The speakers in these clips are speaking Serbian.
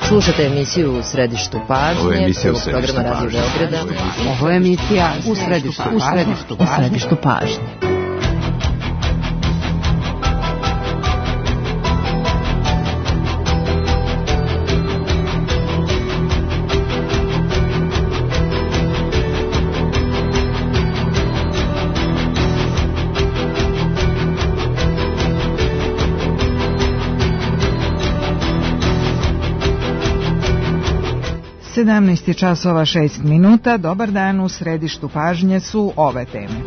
Slušate emisiju U središtu pažnje, prvog programa Radio Beograda. Ovo je emisija U središtu pažnje. Sedamnaest časova 6 minuta. Dobar dan, u središtu pažnje su ove teme.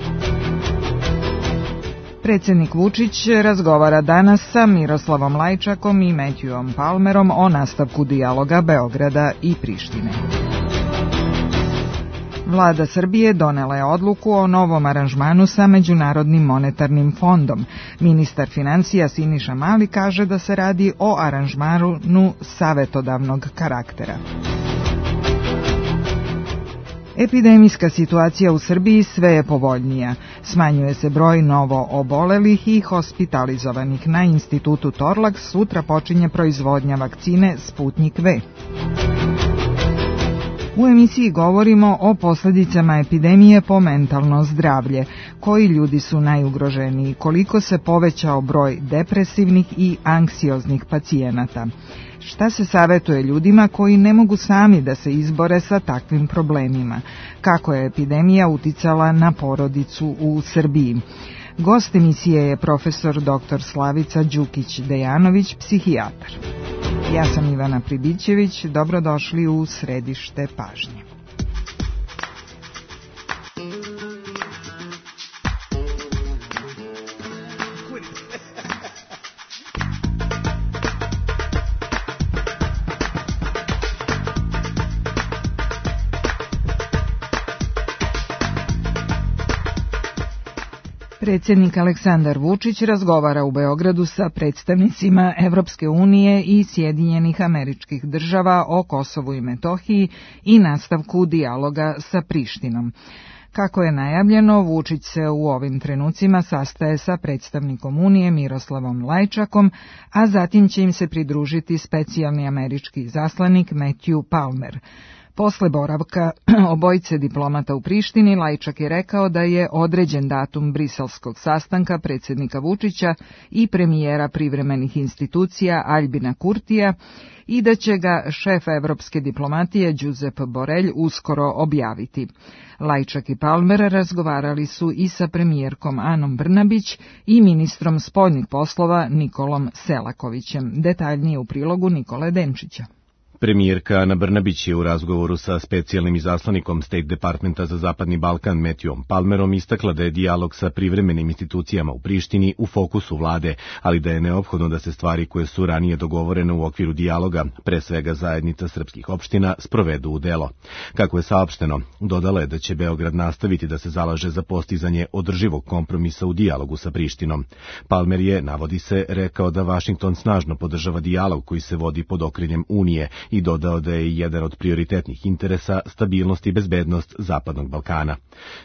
Predsjednik Vučić razgovara danas sa Miroslavom Lajčakom i Matthewom Palmerom o nastavku dijaloga Beograda i Prištine. Vlada Srbije donela je odluku o novom aranžmanu sa Međunarodnim monetarnim fondom. Ministar financija Siniša Mali kaže da se radi o aranžmanu savetodavnog karaktera. Epidemijska situacija u Srbiji sve je povoljnija. Smanjuje se broj novo obolelih i hospitalizovanih. Na institutu Torlak sutra počinje proizvodnja vakcine Sputnik V. U emisiji govorimo o posljedicama epidemije po mentalno zdravlje. Koji ljudi su najugroženiji, koliko se povećao broj depresivnih i anksioznih pacijenata. Šta se savjetuje ljudima koji ne mogu sami da se izbore sa takvim problemima? Kako je epidemija uticala na porodicu u Srbiji? Gost emisije je profesor dr. Slavica Đukić-Dejanović, psihijatar. Ja sam Ivana Pribićević, dobrodošli u središte pažnje. Predsjednik Aleksandar Vučić razgovara u Beogradu sa predstavnicima Evropske unije i Sjedinjenih Američkih Država o Kosovu i Metohiji i nastavku dijaloga sa Prištinom. Kako je najavljeno, Vučić se u ovim trenucima sastaje sa predstavnikom Unije Miroslavom Lajčakom, a zatim će im se pridružiti specijalni američki izaslanik Matthew Palmer. Posle boravka obojice diplomata u Prištini, Lajčak je rekao da je određen datum briselskog sastanka predsjednika Vučića i premijera privremenih institucija Aljbina Kurtija i da će ga šef evropske diplomatije Josep Borrell uskoro objaviti. Lajčak i Palmer razgovarali su i sa premijerkom Anom Brnabić i ministrom spoljnih poslova Nikolom Selakovićem. Detaljnije u prilogu Nikole Denčića. Premijerka Ana Brnabić je u razgovoru sa specijalnim izaslanikom State Departmenta za Zapadni Balkan Matthewom Palmerom istakla da je dijalog sa privremenim institucijama u Prištini u fokusu vlade, ali da je neophodno da se stvari koje su ranije dogovorene u okviru dijaloga, pre svega zajednica srpskih opština, sprovedu u delo. Kako je saopšteno, dodala je da će Beograd nastaviti da se zalaže za postizanje održivog kompromisa u dijalogu sa Prištinom. Palmer je, navodi se, rekao da Vašington snažno podržava dijalog koji se vodi pod okriljem Unije i dodao da je jedan od prioritetnih interesa stabilnost i bezbednost Zapadnog Balkana.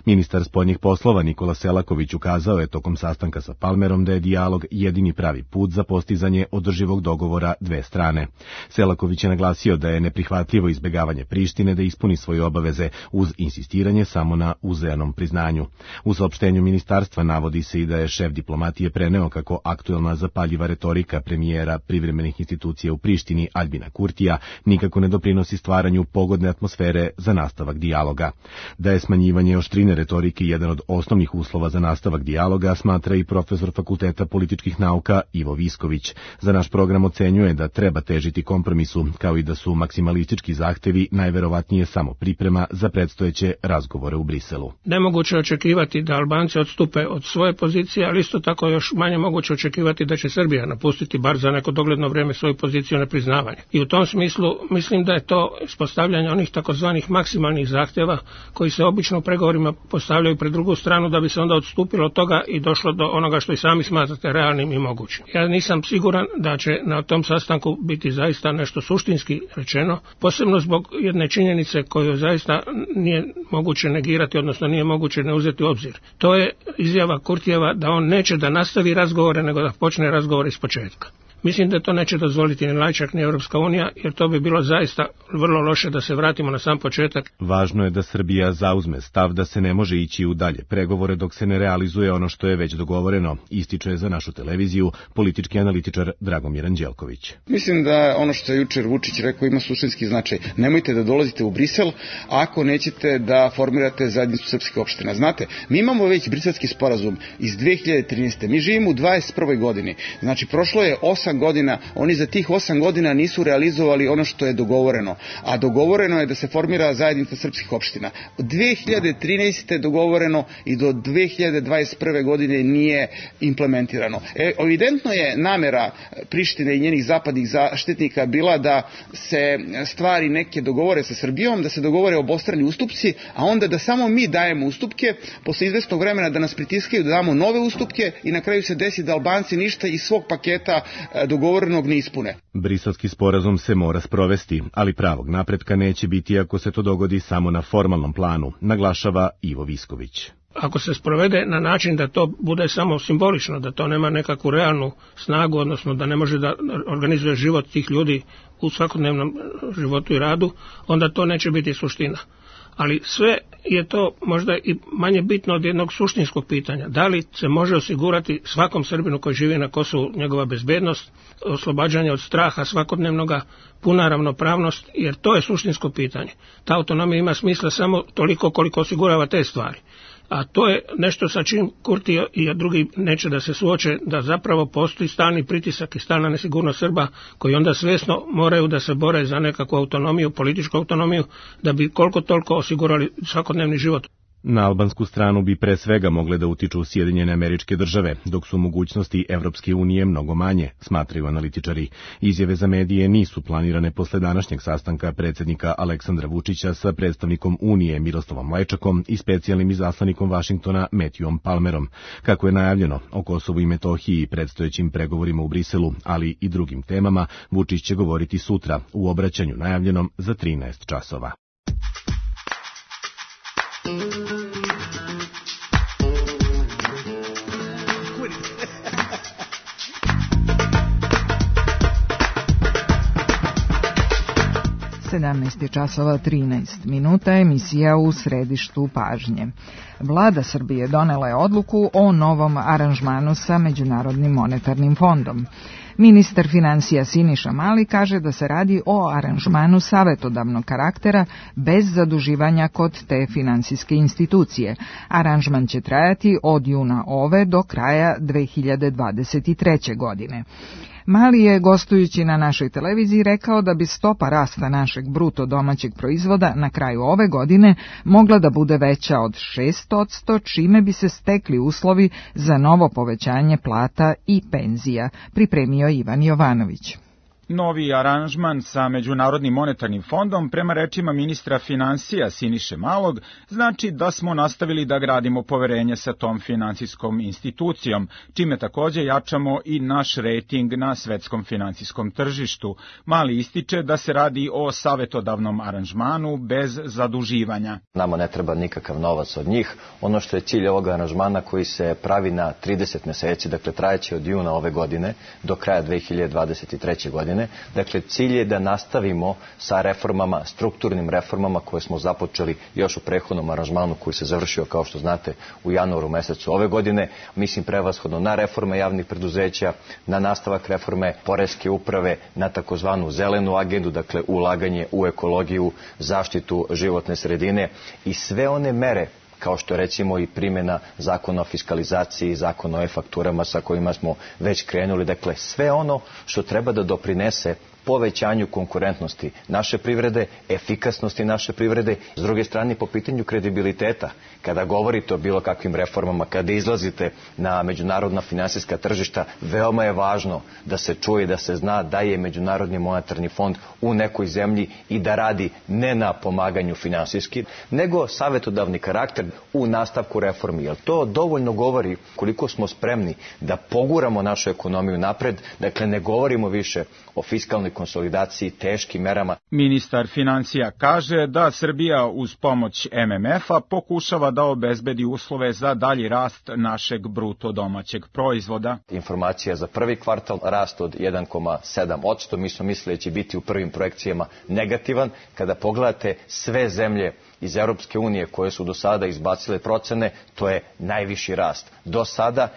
Ministar spoljnih poslova Nikola Selaković ukazao je tokom sastanka sa Palmerom da je dijalog jedini pravi put za postizanje održivog dogovora dve strane. Selaković je naglasio da je neprihvatljivo izbjegavanje Prištine da ispuni svoje obaveze uz insistiranje samo na uzajamnom priznanju. U saopštenju ministarstva navodi se i da je šef diplomatije preneo kako aktuelna zapaljiva retorika premijera privremenih institucija u Prištini Aljbina Kurtija nikako ne doprinosi stvaranju pogodne atmosfere za nastavak dijaloga. Da je smanjivanje oštrine retorike jedan od osnovnih uslova za nastavak dijaloga, smatra i profesor Fakulteta političkih nauka Ivo Visković. Za naš program ocenjuje da treba težiti kompromisu, kao i da su maksimalistički zahtevi najverovatnije samo priprema za predstojeće razgovore u Briselu. Nemoguće očekivati da Albanci odstupe od svoje pozicije, ali isto tako još manje moguće očekivati da će Srbija napustiti bar za neko dogledno vrijeme svoju poziciju nepriznavanja. I u tom smislu mislim da je to ispostavljanje onih takozvanih maksimalnih zahtjeva koji se obično u pregovorima postavljaju pred drugu stranu da bi se onda odstupilo od toga i došlo do onoga što i sami smatrate realnim i mogućim. Ja nisam siguran da će na tom sastanku biti zaista nešto suštinski rečeno, posebno zbog jedne činjenice koju zaista nije moguće negirati, odnosno nije moguće ne uzeti u obzir. To je izjava Kurtijeva da on neće da nastavi razgovore, nego da počne razgovore iz početka. Mislim da to neće dozvoliti ni Lajčak ni Europska unija, jer to bi bilo zaista vrlo loše da se vratimo na sam početak. Važno je da Srbija zauzme stav da se ne može ići u dalje pregovore dok se ne realizuje ono što je već dogovoreno, ističe za našu televiziju politički analitičar Dragomir Anđelković. Mislim da ono što je jučer Vučić rekao ima suštinski značaj. Nemojte da dolazite u Brisel ako nećete da formirate zajednicu srpskih opština. Znate, mi imamo već briselski sporazum iz 2013. Mi živimo u 21. godini. Znači, prošlo je 8 godina, oni za tih 8 godina nisu realizovali ono što je dogovoreno. A dogovoreno je da se formira zajednica srpskih opština. Od 2013. je dogovoreno i do 2021. godine nije implementirano. Evidentno je namera Prištine i njenih zapadnih zaštitnika bila da se stvari neke dogovore sa Srbijom, da se dogovore obostrani ustupci, a onda da samo mi dajemo ustupke, posle izvesnog vremena da nas pritiskaju da damo nove ustupke i na kraju se desi da Albanci ništa iz svog paketa dogovorenog ne ispune. Briselski sporazum se mora sprovesti, ali pravog napretka neće biti ako se to dogodi samo na formalnom planu, naglašava Ivo Visković. Ako se sprovede na način da to bude samo simbolično, da to nema nekakvu realnu snagu, odnosno da ne može da organizuje život tih ljudi u svakodnevnom životu i radu, onda to neće biti suština. Ali sve je to možda i manje bitno od jednog suštinskog pitanja. Da li se može osigurati svakom Srbinu koji živi na Kosovu njegova bezbednost, oslobađanje od straha svakodnevnoga, puna ravnopravnost, jer to je suštinsko pitanje. Ta autonomija ima smisla samo toliko koliko osigurava te stvari. A to je nešto sa čim Kurti i drugi neće da se suoče, da zapravo postoji stalni pritisak i stalna nesigurnost Srba koji onda svjesno moraju da se bore za nekakvu autonomiju, političku autonomiju, da bi koliko toliko osigurali svakodnevni život. Na albansku stranu bi pre svega mogle da utiču Sjedinjene Američke Države, dok su mogućnosti Evropske unije mnogo manje, smatraju analitičari. Izjave za medije nisu planirane posle današnjeg sastanka predsjednika Aleksandra Vučića sa predstavnikom Unije Miroslavom Lajčakom i specijalnim izaslanikom Vašingtona Matthewom Palmerom. Kako je najavljeno, o Kosovu i Metohiji i predstojećim pregovorima u Briselu, ali i drugim temama, Vučić će govoriti sutra u obraćanju najavljenom za 13 časova. časova 13 minuta, emisija u središtu pažnje. Vlada Srbije donela je odluku o novom aranžmanu sa Međunarodnim monetarnim fondom. Ministar finansija Siniša Mali kaže da se radi o aranžmanu savetodavnog karaktera bez zaduživanja kod te finansijske institucije. Aranžman će trajati od juna ove do kraja 2023. godine. Mali je, gostujući na našoj televiziji, rekao da bi stopa rasta našeg bruto domaćeg proizvoda na kraju ove godine mogla da bude veća od 6%, čime bi se stekli uslovi za novo povećanje plata i penzija, pripremio Ivan Jovanović. Novi aranžman sa Međunarodnim monetarnim fondom, prema rečima ministra finansija Siniše Malog, znači da smo nastavili da gradimo poverenje sa tom finansijskom institucijom, čime takođe jačamo i naš rejting na svetskom finansijskom tržištu. Mali ističe da se radi o savetodavnom aranžmanu bez zaduživanja. Nama ne treba nikakav novac od njih. Ono što je cilj ovog aranžmana koji se pravi na 30 meseci, dakle trajeće od juna ove godine do kraja 2023. godine. Dakle, cilj je da nastavimo sa reformama, strukturnim reformama koje smo započeli još u prethodnom aranžmanu koji se završio, kao što znate, u januaru mesecu ove godine. Mislim prevashodno na reforme javnih preduzeća, na nastavak reforme poreske uprave, na takozvanu zelenu agendu, dakle ulaganje u ekologiju, zaštitu životne sredine i sve one mere kao što je recimo i primjena zakona o fiskalizaciji, zakona o e-fakturama sa kojima smo već krenuli. Dakle, sve ono što treba da doprinese povećanju konkurentnosti naše privrede, efikasnosti naše privrede, s druge strane po pitanju kredibiliteta. Kada govorite o bilo kakvim reformama, kada izlazite na međunarodna finansijska tržišta, veoma je važno da se čuje, da se zna da je Međunarodni monetarni fond u nekoj zemlji i da radi ne na pomaganju finansijski, nego savetodavni karakter u nastavku reformi. Jer to dovoljno govori koliko smo spremni da poguramo našu ekonomiju napred. Dakle, ne govorimo više o fiskalnoj konsolidaciji, teškim merama. Ministar financija kaže da Srbija uz pomoć MMF-a pokušava da obezbedi uslove za dalji rast našeg bruto domaćeg proizvoda. Informacija za prvi kvartal, rast od 1,7%. Mi smo mislili da će biti u prvim projekcijama negativan. Kada pogledate sve zemlje iz Europske unije koje su do sada izbacile procene, to je najviši rast. Do sada,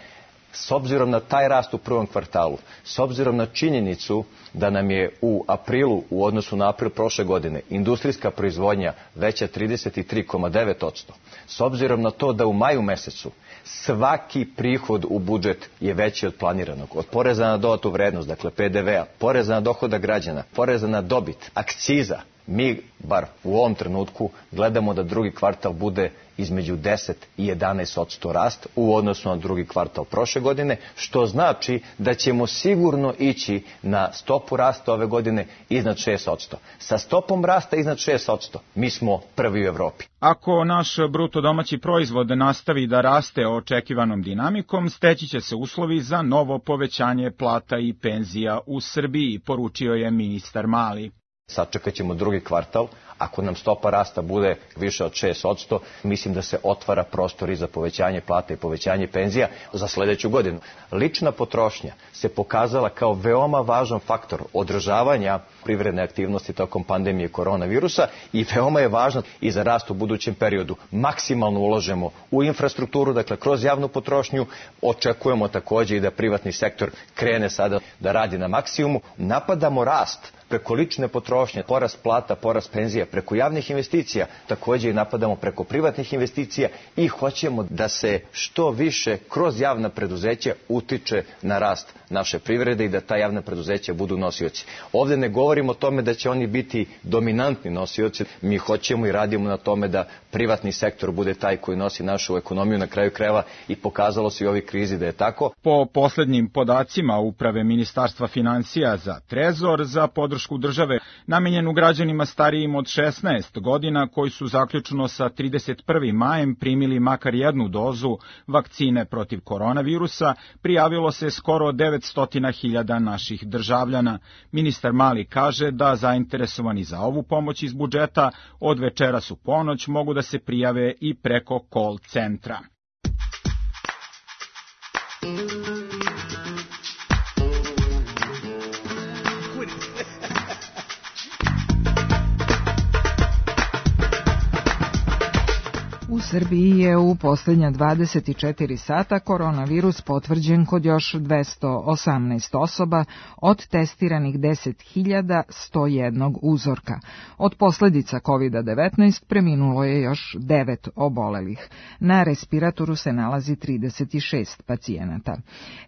s obzirom na taj rast u prvom kvartalu, s obzirom na činjenicu da nam je u aprilu, u odnosu na april prošle godine, industrijska proizvodnja veća 33,9%, s obzirom na to da u maju mesecu svaki prihod u budžet je veći od planiranog, od poreza na dodatu vrednost, dakle PDV-a, poreza na dohodak građana, poreza na dobit, akciza, mi, bar u ovom trenutku, gledamo da drugi kvartal bude između 10 i 11% rast u odnosu na drugi kvartal prošle godine, što znači da ćemo sigurno ići na stopu rasta ove godine iznad 6%. Sa stopom rasta iznad 6% mi smo prvi u Evropi. Ako naš bruto domaći proizvod nastavi da raste očekivanom dinamikom, steći će se uslovi za novo povećanje plata i penzija u Srbiji, poručio je ministar Mali. Sačekat ćemo drugi kvartal. Ako nam stopa rasta bude više od 6%, mislim da se otvara prostor i za povećanje plata i povećanje penzija za sledeću godinu. Lična potrošnja se pokazala kao veoma važan faktor održavanja privredne aktivnosti tokom pandemije koronavirusa i veoma je važno i za rast u budućem periodu. Maksimalno ulažemo u infrastrukturu, dakle kroz javnu potrošnju. Očekujemo takođe i da privatni sektor krene sada da radi na maksimumu. Napadamo rast preko lične potrošnje, porast plata, porast penzija, preko javnih investicija, takođe i napadamo preko privatnih investicija i hoćemo da se što više kroz javna preduzeća utiče na rast naše privrede i da ta javna preduzeća budu nosioci. Ovde ne govorimo o tome da će oni biti dominantni nosioci, mi hoćemo i radimo na tome da privatni sektor bude taj koji nosi našu ekonomiju na kraju krajeva i pokazalo se i u ovoj krizi da je tako. Po poslednjim podacima Uprave Ministarstva financija za Trezor za podršku države namenjenu građanima starijim od 16 godina koji su zaključno sa 31. majem primili makar jednu dozu vakcine protiv koronavirusa, prijavilo se skoro 900.000 naših državljana. Ministar Mali kaže da zainteresovani za ovu pomoć iz budžeta od večeras u ponoć mogu da se prijave i preko call centra. U Srbiji je u posljednja 24 sata koronavirus potvrđen kod još 218 osoba od testiranih 10.101 uzorka. Od posljedica COVID-19 preminulo je još 9 obolelih. Na respiratoru se nalazi 36 pacijenata.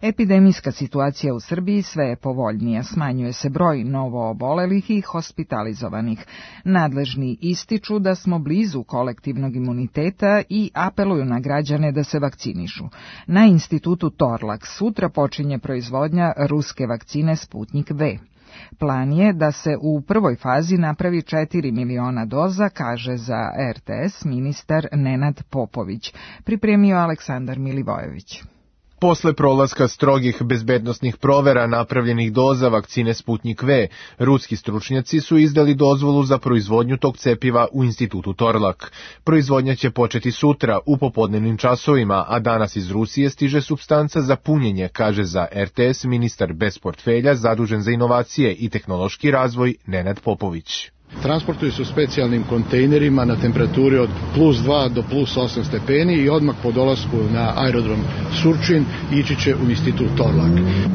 Epidemijska situacija u Srbiji sve je povoljnija, smanjuje se broj novo obolelih i hospitalizovanih. Nadležni ističu da smo blizu kolektivnog imuniteta i apeluju na građane da se vakcinišu. Na institutu Torlak sutra počinje proizvodnja ruske vakcine Sputnik V. Plan je da se u prvoj fazi napravi 4 miliona doza, kaže za RTS ministar Nenad Popović. Pripremio Aleksandar Milivojević. Posle prolaska strogih bezbednosnih provera napravljenih doza vakcine Sputnik V, ruski stručnjaci su izdali dozvolu za proizvodnju tog cepiva u institutu Torlak. Proizvodnja će početi sutra u popodnevnim časovima, a danas iz Rusije stiže supstanca za punjenje, kaže za RTS ministar bez portfelja zadužen za inovacije i tehnološki razvoj Nenad Popović. Transportuju se u specijalnim kontejnerima na temperaturi od +2 do +8 stepeni i odmah po dolasku na aerodrom Surčin ići će u institut Torlak.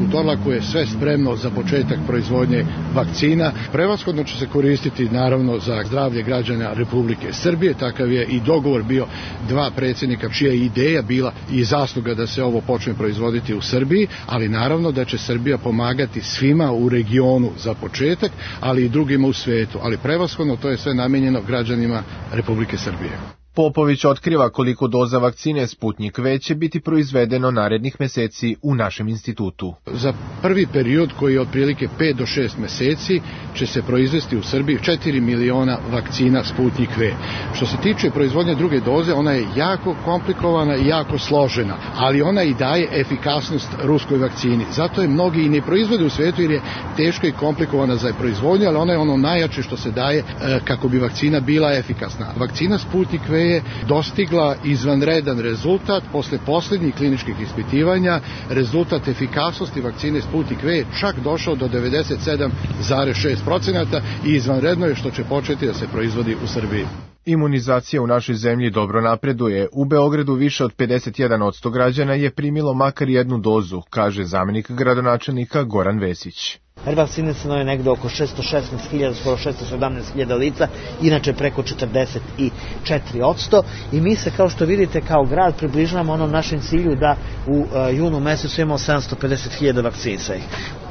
U Torlaku je sve spremno za početak proizvodnje vakcina. Prevashodno će se koristiti naravno za zdravlje građana Republike Srbije. Takav je i dogovor bio dva predsjednika čija je ideja bila i zasluga da se ovo počne proizvoditi u Srbiji, ali naravno da će Srbija pomagati svima u regionu za početak, ali i drugima u svetu. Ali prevashodno to je sve namijenjeno građanima Republike Srbije. Popović otkriva koliko doza vakcine Sputnik V će biti proizvedeno narednih meseci u našem institutu. Za prvi period, koji je otprilike 5 do 6 meseci, će se proizvesti u Srbiji 4 miliona vakcina Sputnik V. Što se tiče proizvodnje druge doze, ona je jako komplikovana i jako složena, ali ona i daje efikasnost ruskoj vakcini. Zato je mnogi i ne proizvode u svetu jer je teško i komplikovana za proizvodnju, ali ona je ono najjače što se daje kako bi vakcina bila efikasna. Vakcina Sputnik V je dostigla izvanredan rezultat posle poslednjih kliničkih ispitivanja. Rezultat efikasnosti vakcine Sputnik V je čak došao do 97,6% i izvanredno je što će početi da se proizvodi u Srbiji. Imunizacija u našoj zemlji dobro napreduje. U Beogradu više od 51% građana je primilo makar jednu dozu, kaže zamenik gradonačelnika Goran Vesić. Vakcinisano je negde oko 616.000, skoro 617.000 lica, inače preko 44%. I mi se, kao što vidite, kao grad približavamo onom našem cilju da u junu mesecu imamo 750.000 vakcinisanih.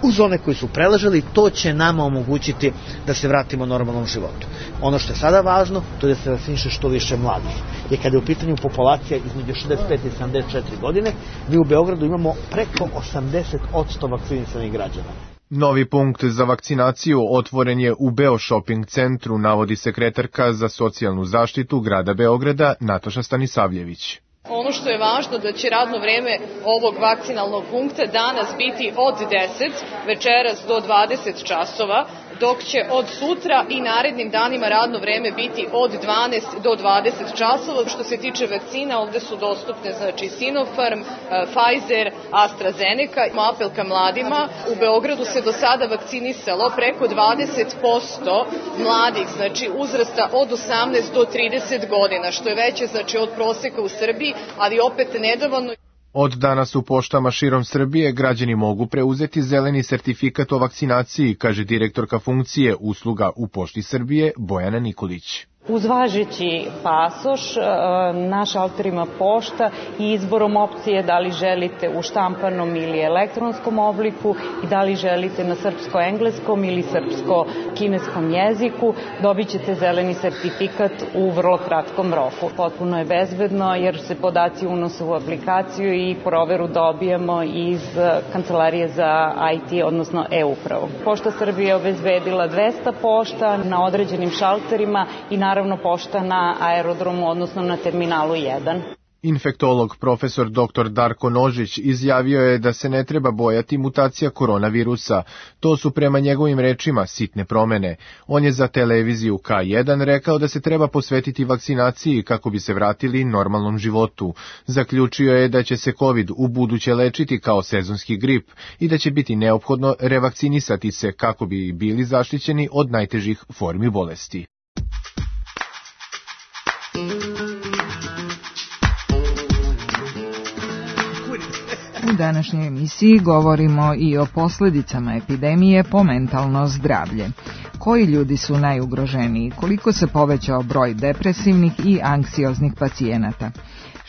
Uz one koji su preležali, to će nama omogućiti da se vratimo normalnom životu. Ono što je sada važno, to je da se vakciniše što više mladih. Jer kada je u pitanju populacija između 65 i 74 godine, mi u Beogradu imamo preko 80% vakcinisanih građana. Novi punkt za vakcinaciju otvoren je u Beo Shopping centru, navodi sekretarka za socijalnu zaštitu grada Beograda Nataša Stanisavljević. Ono što je važno da će radno vreme ovog vakcinalnog punkta danas biti od 10, večeras do 20 časova, dok će od sutra i narednim danima radno vreme biti od 12 do 20 časova. Što se tiče vakcina, ovde su dostupne Sinopharm, Pfizer, AstraZeneca. Apel ka mladima, u Beogradu se do sada vakcinisalo preko 20% mladih, uzrasta od 18 do 30 godina, što je veće od proseka u Srbiji, ali opet nedovoljno. Od danas u poštama širom Srbije građani mogu preuzeti zeleni sertifikat o vakcinaciji, kaže direktorka funkcije usluga u Pošti Srbije Bojana Nikolić. Uz važeći pasoš, na šalterima pošta i izborom opcije da li želite u štampanom ili elektronskom obliku i da li želite na srpsko-engleskom ili srpsko-kineskom jeziku, dobit ćete zeleni sertifikat u vrlo kratkom roku. Potpuno je bezbedno jer se podaci unose u aplikaciju i proveru dobijamo iz Kancelarije za IT, odnosno e-upravu. Pošta Srbije je obezbedila 200 pošta na određenim šalterima i naravno pošta na aerodromu, odnosno na terminalu 1. Infektolog profesor dr. Darko Nožić izjavio je da se ne treba bojati mutacija koronavirusa. To su prema njegovim rečima sitne promene. On je za televiziju K1 rekao da se treba posvetiti vakcinaciji kako bi se vratili normalnom životu. Zaključio je da će se COVID u buduće lečiti kao sezonski grip i da će biti neophodno revakcinisati se kako bi bili zaštićeni od najtežih formi bolesti. U današnjoj emisiji govorimo i o posljedicama epidemije po mentalno zdravlje. Koji ljudi su najugroženiji, koliko se povećao broj depresivnih i anksioznih pacijenata?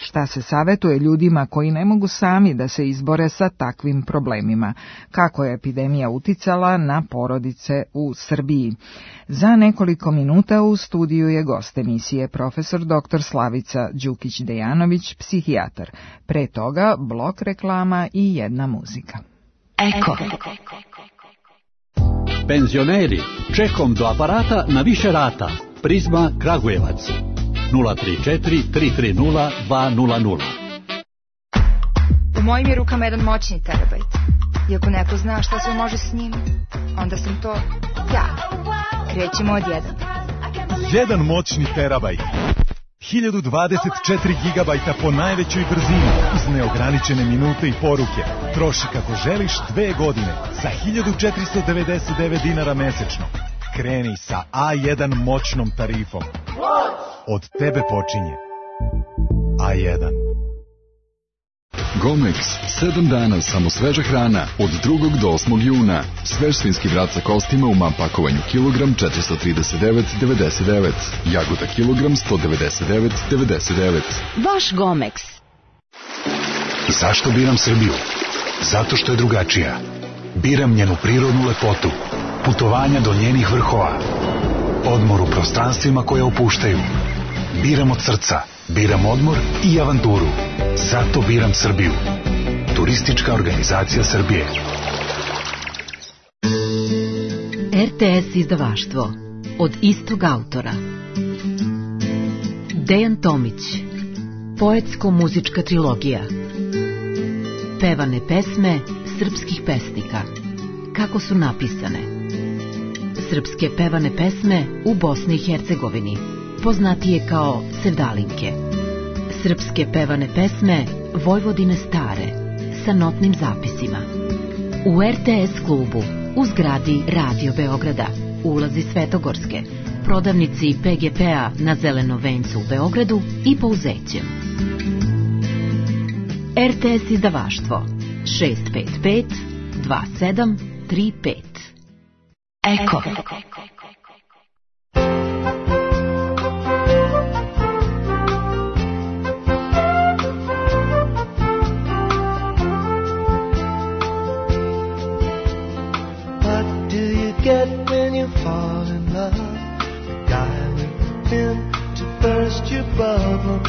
Šta se savetuje ljudima koji ne mogu sami da se izbore sa takvim problemima? Kako je epidemija uticala na porodice u Srbiji? Za nekoliko minuta u studiju je gost emisije profesor dr. Slavica Đukić-Dejanović, psihijatar. Pre toga blok reklama i jedna muzika. Eko. Penzioneri, čekom do aparata na više rata. Prizma Kragujevac. 034 330 200. U mojim je rukama jedan moćni terabajt. I ako neko zna šta se može s njim, onda sam to ja. Krećemo od 1. Jedan moćni terabajt. 1024 gigabajta po najvećoj brzini uz neograničene minute i poruke. Troši kako želiš 2 godine za 1499 dinara mesečno. Kreni sa A1 moćnom tarifom. Od tebe počinje A1. Gomex, 7 dana samo sveža hrana od 2. do 8. juna. Svež svinjski vrat sa kostima u MAM pakovanju kilogram 439,99. Jagoda kilogram 199,99. Vaš Gomex. Zašto biram Srbiju? Zato što je drugačija. Biram njenu prirodnu lepotu, putovanja do njenih vrhova, odmor u prostranstvima koje opuštaju. Biram od srca, biram odmor i avanturu. Zato biram Srbiju. Turistička organizacija Srbije. RTS izdavaštvo. Od istog autora. Dejan Tomić. Poetsko-muzička trilogija. Pevane pesme srpskih pesnika. Kako su napisane? Srpske pevane pesme u Bosni i Hercegovini, poznatije kao sevdalinke. Srpske pevane pesme Vojvodine stare, sa notnim zapisima. U RTS klubu, u zgradi Radio Beograda, ulazi Svetogorske, prodavnici PGP-a na Zelenom vencu u Beogradu i Pouzećem. RTS izdavaštvo 655 2735. Eko. Get when you fall in love, the guy with the pin to burst your bubble.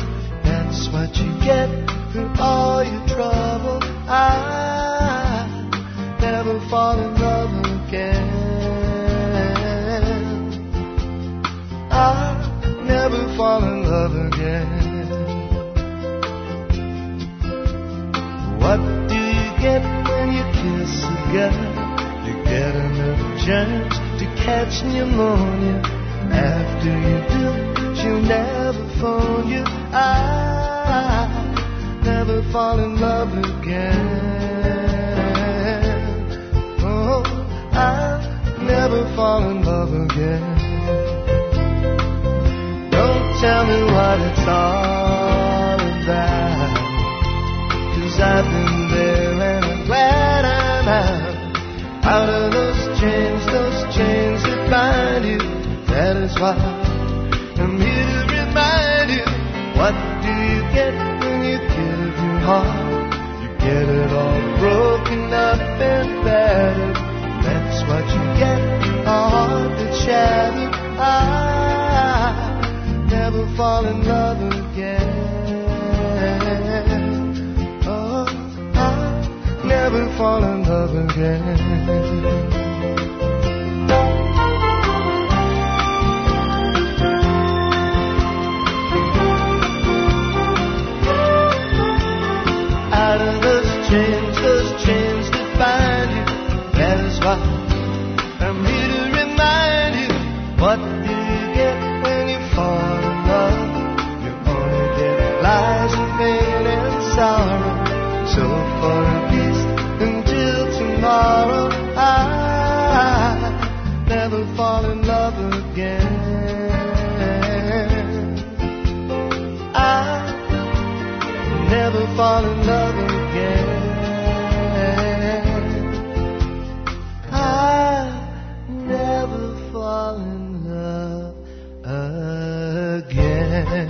That's what you get through all your trouble. I never fall in love again. I never fall in love again. What do you get when you kiss a girl? You get enough chance to catch pneumonia. After you do, she'll never phone you. I never fall in love again. Oh, I never fall in love again. Don't tell me what it's all about, 'cause I've been there and I'm glad I'm out of those chains that bind you. That is why I'm here to remind you. What do you get when you give your heart? You get it all broken up and battered. That's what you get, a heart that's shattered. I never fall in love again. Oh, I never fall in love again. Out of those chains that bind you. That is why I'm here to remind you. What do you get when you fall in love? You only get lies and pain and sorrow. So for a piece until tomorrow, I never fall in love again. I never fall in love again. I never fall in love again.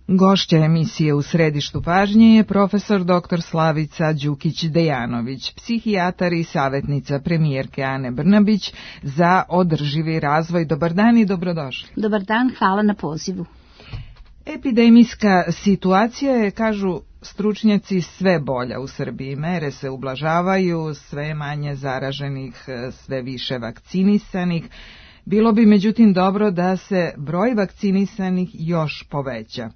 Gošća emisije U središtu pažnje je profesor dr. Slavica Đukić-Dejanović, psihijatar i savjetnica premijerke Ane Brnabić za održivi razvoj. Dobar dan i dobrodošli. Dobar dan, hvala na pozivu. Epidemijska situacija je, kažu stručnjaci, sve bolja u Srbiji. Mere se ublažavaju, sve manje zaraženih, sve više vakcinisanih. Bilo bi međutim dobro da se broj vakcinisanih još poveća.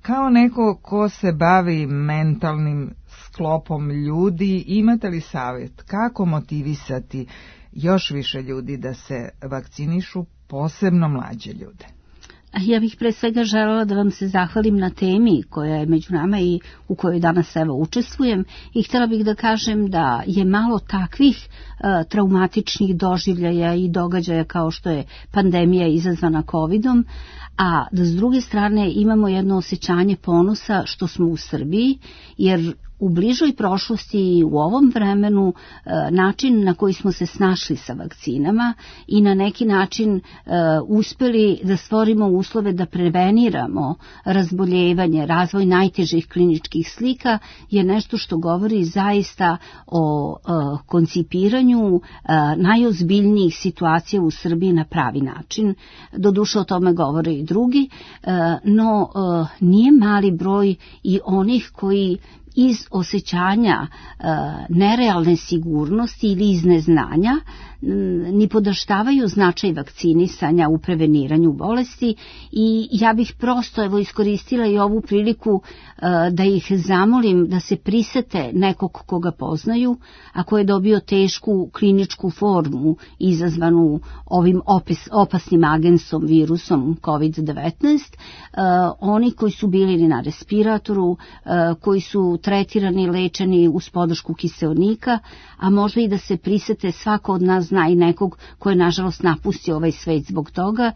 Kao neko ko se bavi mentalnim sklopom ljudi, imate li savjet kako motivisati još više ljudi da se vakcinišu, posebno mlađe ljude? Ja bih pre svega želela da vam se zahvalim na temi koja je među nama i u kojoj danas evo učestvujem i htjela bih da kažem da je malo takvih traumatičnih doživljaja i događaja kao što je pandemija izazvana COVID-om, a da s druge strane imamo jedno osjećanje ponosa što smo u Srbiji, jer u bližoj prošlosti i u ovom vremenu način na koji smo se snašli sa vakcinama i na neki način uspeli da stvorimo uslove da preveniramo razboljevanje, razvoj najtežih kliničkih slika je nešto što govori zaista o koncipiranju najozbiljnijih situacija u Srbiji na pravi način. Doduše o tome govore i drugi, no nije mali broj i onih koji iz osjećanja nerealne sigurnosti ili iz neznanja ni podaštavaju značaj vakcinisanja u preveniranju bolesti i ja bih prosto iskoristila i ovu priliku da ih zamolim da se prisete nekog koga poznaju, a ko je dobio tešku kliničku formu izazvanu ovim opasnim agensom, virusom COVID-19, oni koji su bili na respiratoru, koji su tretirani, lečeni uz podršku kiseonika, a možda i da se prisete, svako od nas zna i nekog ko je nažalost napustio ovaj svet zbog toga,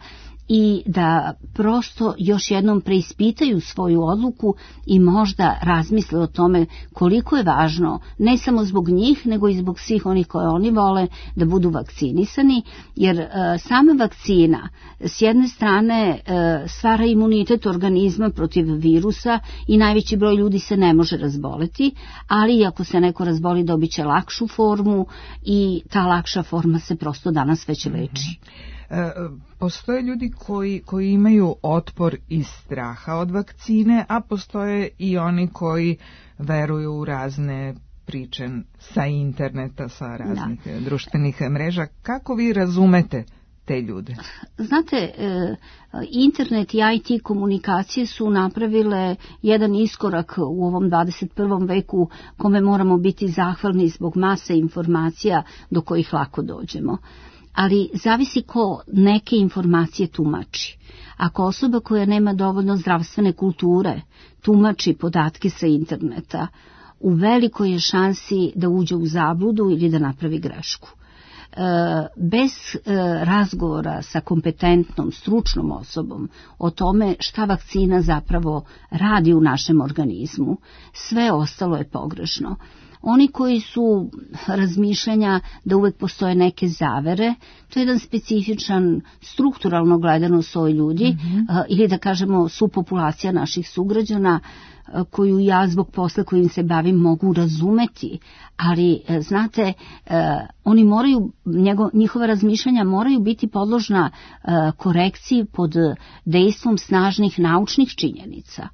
i da prosto još jednom preispitaju svoju odluku i možda razmisle o tome koliko je važno, ne samo zbog njih, nego i zbog svih onih koje oni vole, da budu vakcinisani, jer sama vakcina s jedne strane stvara imunitet organizma protiv virusa i najveći broj ljudi se ne može razboleti, ali ako se neko razboli dobit će lakšu formu i ta lakša forma se prosto danas već leči. Postoje ljudi koji imaju otpor iz straha od vakcine, a postoje i oni koji veruju u razne priče sa interneta, sa raznih društvenih mreža. Kako vi razumete te ljude? Znate, internet i IT komunikacije su napravile jedan iskorak u ovom 21. veku kome moramo biti zahvalni zbog mase informacija do kojih lako dođemo. Ali zavisi ko neke informacije tumači. Ako osoba koja nema dovoljno zdravstvene kulture tumači podatke sa interneta, u velikoj je šansi da uđe u zabludu ili da napravi grešku. Bez razgovora sa kompetentnom, stručnom osobom o tome šta vakcina zapravo radi u našem organizmu, sve ostalo je pogrešno. Oni koji su razmišljanja da uvek postoje neke zavere, to je jedan specifičan, strukturalno gledano soj ljudi, ili da kažemo subpopulacija naših sugrađana, koju ja zbog posla kojim se bavim mogu razumeti, ali znate, oni moraju, njihova razmišljanja moraju biti podložna korekciji pod dejstvom snažnih naučnih činjenica.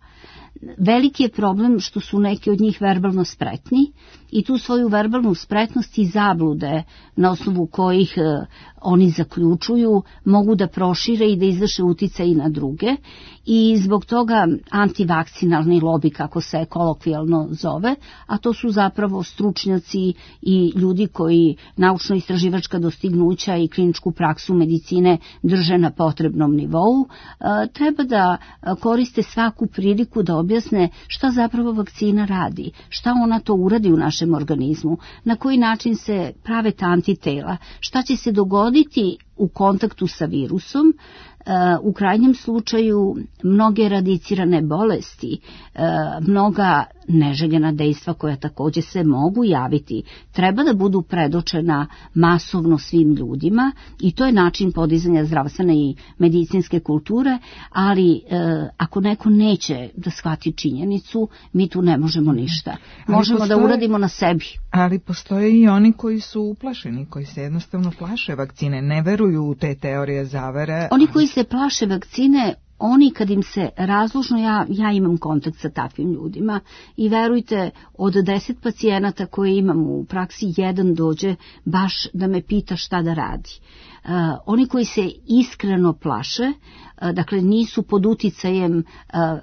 Veliki je problem što su neki od njih verbalno spretni i tu svoju verbalnu spretnost i zablude na osnovu kojih oni zaključuju mogu da prošire i da izvrše uticaj i na druge i zbog toga antivakcinalni lobi, kako se kolokvijalno zove, a to su zapravo stručnjaci i ljudi koji naučno-istraživačka dostignuća i kliničku praksu medicine drže na potrebnom nivou, treba da koriste svaku priliku da objasne šta zapravo vakcina radi, šta ona to uradi u našem organizmu, na koji način se prave ta antitela, šta će se dogoditi u kontaktu sa virusom, u krajnjem slučaju mnoge radicirane bolesti, mnoga neželjena dejstva koja također se mogu javiti, treba da budu predočena masovno svim ljudima i to je način podizanja zdravstvene i medicinske kulture, ali ako neko neće da shvati činjenicu, mi tu ne možemo ništa. Možemo da uradimo na sebi. Ali postoje i oni koji su uplašeni, koji se jednostavno plaše vakcine, ne veruju u te teorije zavere. Oni koji se plaše vakcine, oni kad im se razložno, ja imam kontakt sa takvim ljudima i verujte, od 10 pacijenata koje imam u praksi, jedan dođe baš da me pita šta da radi. Oni koji se iskreno plaše, dakle nisu pod uticajem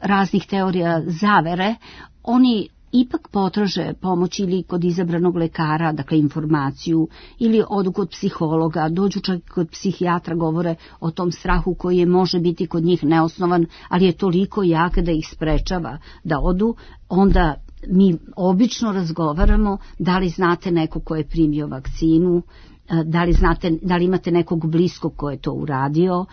raznih teorija zavere, oni ipak potraže pomoć ili kod izabranog lekara, dakle informaciju, ili odu kod psihologa, dođu čak kod psihijatra, govore o tom strahu koji je može biti kod njih neosnovan, ali je toliko jak da ih sprečava da odu, onda mi obično razgovaramo da li znate neko ko je primio vakcinu, da li imate nekog bliskog ko je to uradio.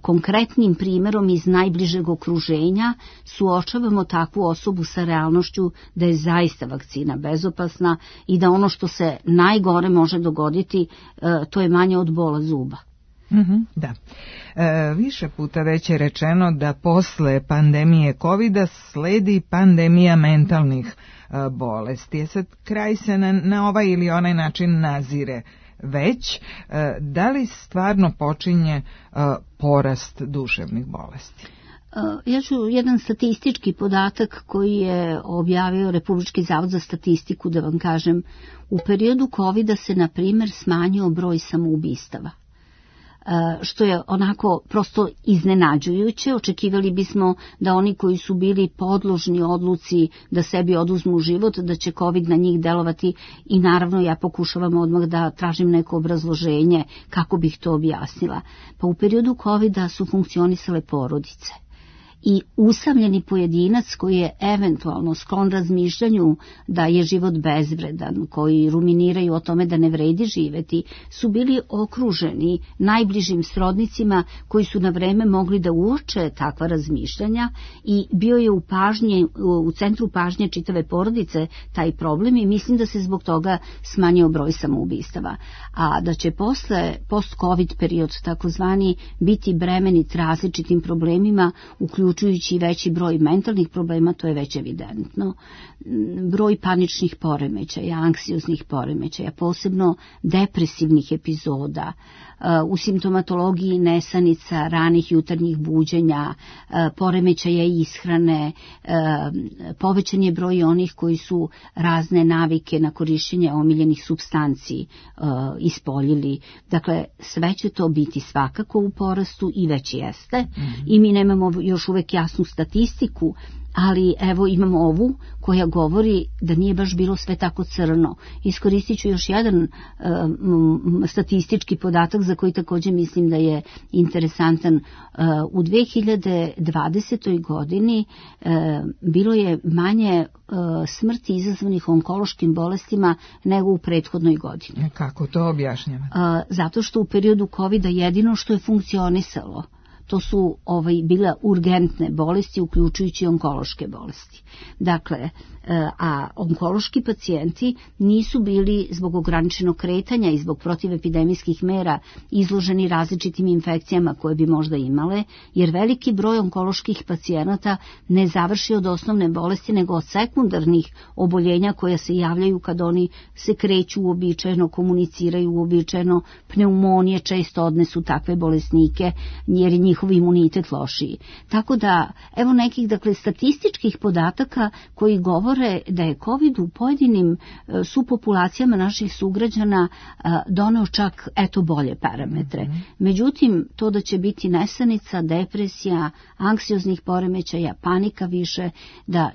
Konkretnim primjerom iz najbližeg okruženja suočavamo takvu osobu sa realnošću da je zaista vakcina bezopasna i da ono što se najgore može dogoditi, to je manje od bola zuba. Da. Više puta već je rečeno da posle pandemije COVID-a sledi pandemija mentalnih bolesti. Sad kraj se na ovaj ili onaj način nazire već. Da li stvarno počinje porast duševnih bolesti? Ja ću jedan statistički podatak koji je objavio Republički zavod za statistiku da vam kažem. U periodu COVID-a se, na primjer, smanjio broj samoubistava, što je onako prosto iznenađujuće. Očekivali bismo da oni koji su bili podložni odluci da sebi oduzmu život, da će COVID na njih delovati, i naravno ja pokušavam odmah da tražim neko obrazloženje kako bih to objasnila. Pa u periodu COVID-a su funkcionisale porodice. I usamljeni pojedinac koji je eventualno sklon razmišljanju da je život bezvredan, koji ruminiraju o tome da ne vredi živeti, su bili okruženi najbližim srodnicima koji su na vreme mogli da uoče takva razmišljanja, i bio je u centru pažnje čitave porodice taj problem, i mislim da se zbog toga smanjio broj samoubistava. A da će post-COVID period takozvani biti bremenit različitim problemima, uključujući veći broj mentalnih problema, to je već evidentno. Broj paničnih poremećaja, anksioznih poremećaja, posebno depresivnih epizoda, u simptomatologiji nesanica, ranih jutarnjih buđenja, poremećaja ishrane, povećan je broj onih koji su razne navike na korišćenje omiljenih supstanci ispoljili. Dakle, sve će to biti svakako u porastu i već jeste. I mi nemamo još uvek jasnu statistiku, ali evo imamo ovu koja govori da nije baš bilo sve tako crno. Iskoristit ću još jedan statistički podatak za koji također mislim da je interesantan. U 2020. godini bilo je manje smrti izazvanih onkološkim bolestima nego u prethodnoj godini. Kako to objašnjava? Zato što u periodu COVID-a jedino što je funkcionisalo, to su bile urgentne bolesti, uključujući onkološke bolesti. Dakle, a onkološki pacijenti nisu bili zbog ograničenog kretanja i zbog protivepidemijskih mera izloženi različitim infekcijama koje bi možda imale, jer veliki broj onkoloških pacijenata ne završi od osnovne bolesti nego od sekundarnih oboljenja koja se javljaju kad oni se kreću uobičajeno, komuniciraju uobičajeno, pneumonije često odnesu takve bolesnike jer je njihov imunitet lošiji. Tako da, evo nekih statističkih podataka koji govore da je COVID u pojedinim supopulacijama naših sugrađana doneo čak bolje parametre. Međutim, to da će biti nesanica, depresija, anksioznih poremećaja, panika više, da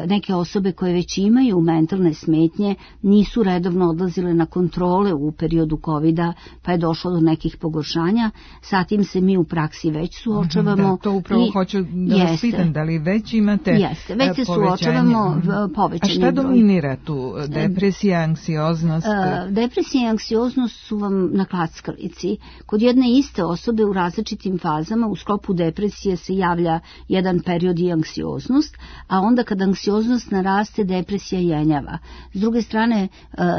neke osobe koje već imaju mentalne smetnje nisu redovno odlazile na kontrole u periodu COVID-a, pa je došlo do nekih pogoršanja. Sa tim se mi u praksi već suočavamo. Da, to upravo hoću da vas pitam, da li već imate već se suočavamo povećanje. A šta dominira tu? Depresija, anksioznost? Depresija i anksioznost su vam na klackalici. Kod jedne iste osobe u različitim fazama u sklopu depresije se javlja jedan period i anksioznost, a onda kad anksioznost naraste, depresija jenjava. S druge strane,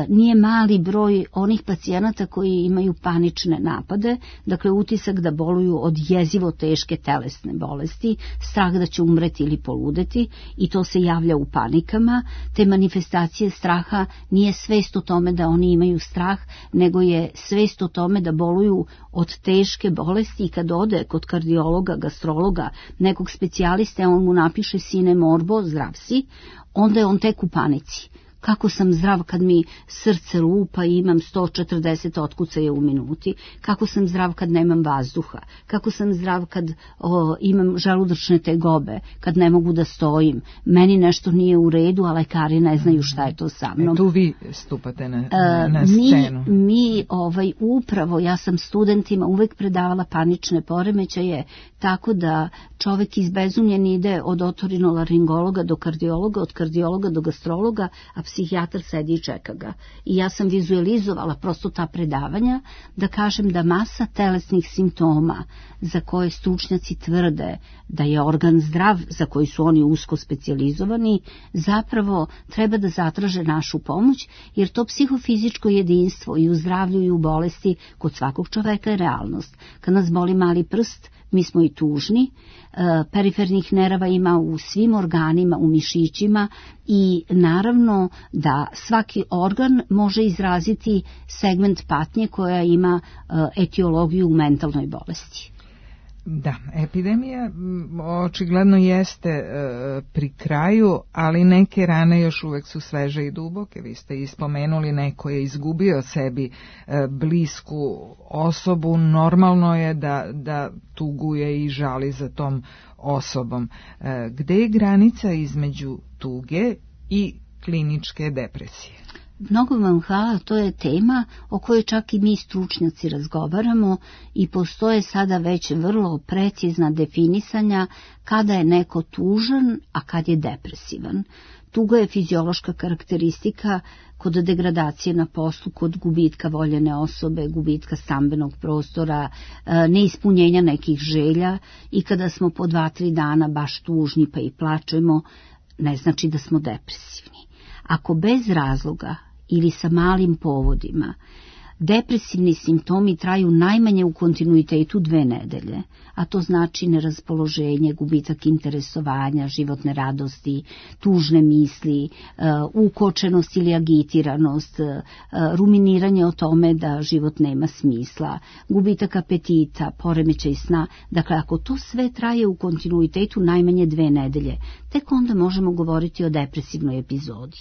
nije mali broj onih pacijenata koji imaju panične napade, dakle utisak da boluju od jezivo teške telesne bolesti, strah da će umreti ili poludeti, i to se javlja u panikama. Te manifestacije straha nije svest o tome da oni imaju strah, nego je svest o tome da boluju od teške bolesti, i kad ode kod kardiologa, gastrologa, nekog specijaliste, on mu napiše sine morbo, zdrav si, onda je on tek u panici. kako sam zdrav kad mi srce lupa i imam 140 otkucaja u minuti, kako sam zdrav kad nemam vazduha, kako sam zdrav kad imam želudačne tegobe, kad ne mogu da stojim, meni nešto nije u redu, a lekari ne znaju šta je to sa mnom. Tu vi stupate na scenu. Mi upravo, ja sam studentima uvek predavala panične poremećaje, tako da čovek izbezumljen ide od otorinolaringologa do kardiologa, od kardiologa do gastrologa, a psihijatar sedi i čeka ga. I ja sam vizualizovala prosto ta predavanja da kažem da masa telesnih simptoma za koje stručnjaci tvrde da je organ zdrav, za koji su oni usko specijalizovani, zapravo treba da zatraže našu pomoć, jer to psihofizičko jedinstvo i u zdravlju i u bolesti kod svakog čoveka je realnost. Kad nas boli mali prst, mi smo i tužni, perifernih nerava ima u svim organima, u mišićima i naravno da svaki organ može izraziti segment patnje koja ima etiologiju u mentalnoj bolesti. Da, epidemija očigledno jeste pri kraju, ali neke rane još uvek su sveže i duboke. Vi ste ispomenuli, neko je izgubio sebi blisku osobu, normalno je da tuguje i žali za tom osobom. Gde je granica između tuge i kliničke depresije? Mnogo vam hvala, to je tema o kojoj čak i mi stručnjaci razgovaramo i postoje sada već vrlo precizna definisanja kada je neko tužan, a kad je depresivan. Tuga je fiziološka karakteristika kod degradacije na poslu, kod gubitka voljene osobe, gubitka stambenog prostora, neispunjenja nekih želja i kada smo po 2-3 dana baš tužni pa i plačemo, ne znači da smo depresivni. Ako bez razloga ili sa malim povodima depresivni simptomi traju najmanje u kontinuitetu 2 nedelje, a to znači neraspoloženje, gubitak interesovanja, životne radosti, tužne misli, ukočenost ili agitiranost, ruminiranje o tome da život nema smisla, gubitak apetita, poremećaj sna. Dakle, ako to sve traje u kontinuitetu najmanje 2 nedelje, tek onda možemo govoriti o depresivnoj epizodi.